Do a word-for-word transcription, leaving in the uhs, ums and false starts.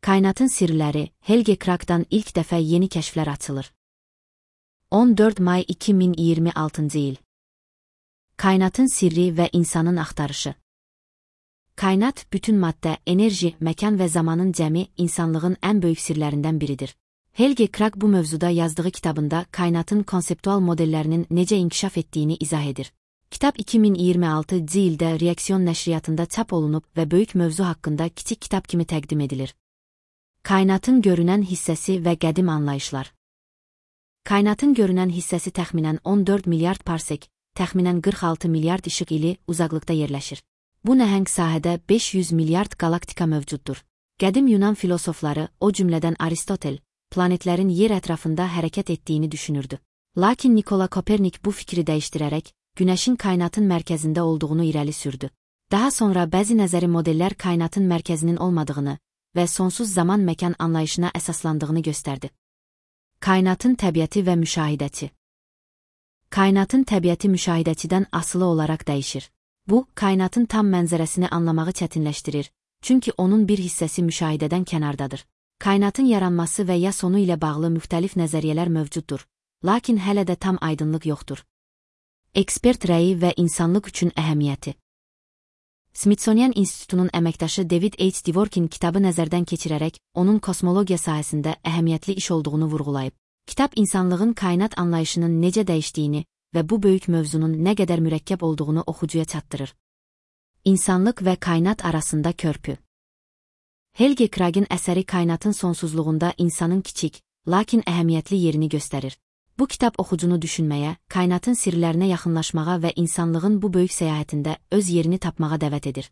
Kainatın sirləri, Helge Krag'dan ilk dəfə yeni kəşflər açılır. on dörd may iki min iyirmi altıncı il. Kainatın sirri və insanın axtarışı. Kainat, bütün maddə, enerji, məkan və zamanın cəmi insanlığın ən böyük sirlərindən biridir. Helge Krag bu mövzuda yazdığı kitabında kainatın konseptual modellərinin necə inkişaf etdiyini izah edir. Kitab iki min iyirmi altıncı ildə Reaksiyon nəşriyyatında çap olunub və böyük mövzu haqqında kiçik kitab kimi təqdim edilir. Kainatın görünən hissəsi və qədim anlayışlar. Kainatın görünən hissəsi təxminən on dörd milyard parsek, təxminən qırx altı milyard işıq ili uzaqlıqda yerləşir. Bu nəhəng sahədə beş yüz milyard galaktika mövcuddur. Qədim Yunan filosofları, o cümlədən Aristotel, planetlərin yer ətrafında hərəkət etdiyini düşünürdü. Lakin Nikola Kopernik bu fikri dəyişdirərək, Günəşin kainatın mərkəzində olduğunu irəli sürdü. Daha sonra bəzi nəzəri modellər kainatın mərkəzinin olmadığını və sonsuz zaman-məkan anlayışına əsaslandığını göstərdi. Kainatın təbiəti və müşahidəçi. Kainatın təbiəti müşahidəçidən asılı olaraq dəyişir. Bu, kainatın tam mənzərəsini anlamağı çətinləşdirir, çünki onun bir hissəsi müşahidədən kənardadır. Kainatın yaranması və ya sonu ilə bağlı müxtəlif nəzəriyyələr mövcuddur, lakin hələ də tam aydınlıq yoxdur. Ekspert rəyi və insanlıq üçün əhəmiyyəti. Smithsonian İnstitutunun əməkdaşı David H. Dworkin kitabı nəzərdən keçirərək, onun kosmologiya sahəsində əhəmiyyətli iş olduğunu vurğulayıb. Kitab insanlığın kainat anlayışının necə dəyişdiyini və bu böyük mövzunun nə qədər mürəkkəb olduğunu oxucuya çatdırır. İnsanlıq və kainat arasında körpü. Helge Krag'ın əsəri kainatın sonsuzluğunda insanın kiçik, lakin əhəmiyyətli yerini göstərir. Bu kitab oxucunu düşünməyə, kainatın sirlərinə yaxınlaşmağa və insanlığın bu böyük səyahətində öz yerini tapmağa dəvət edir.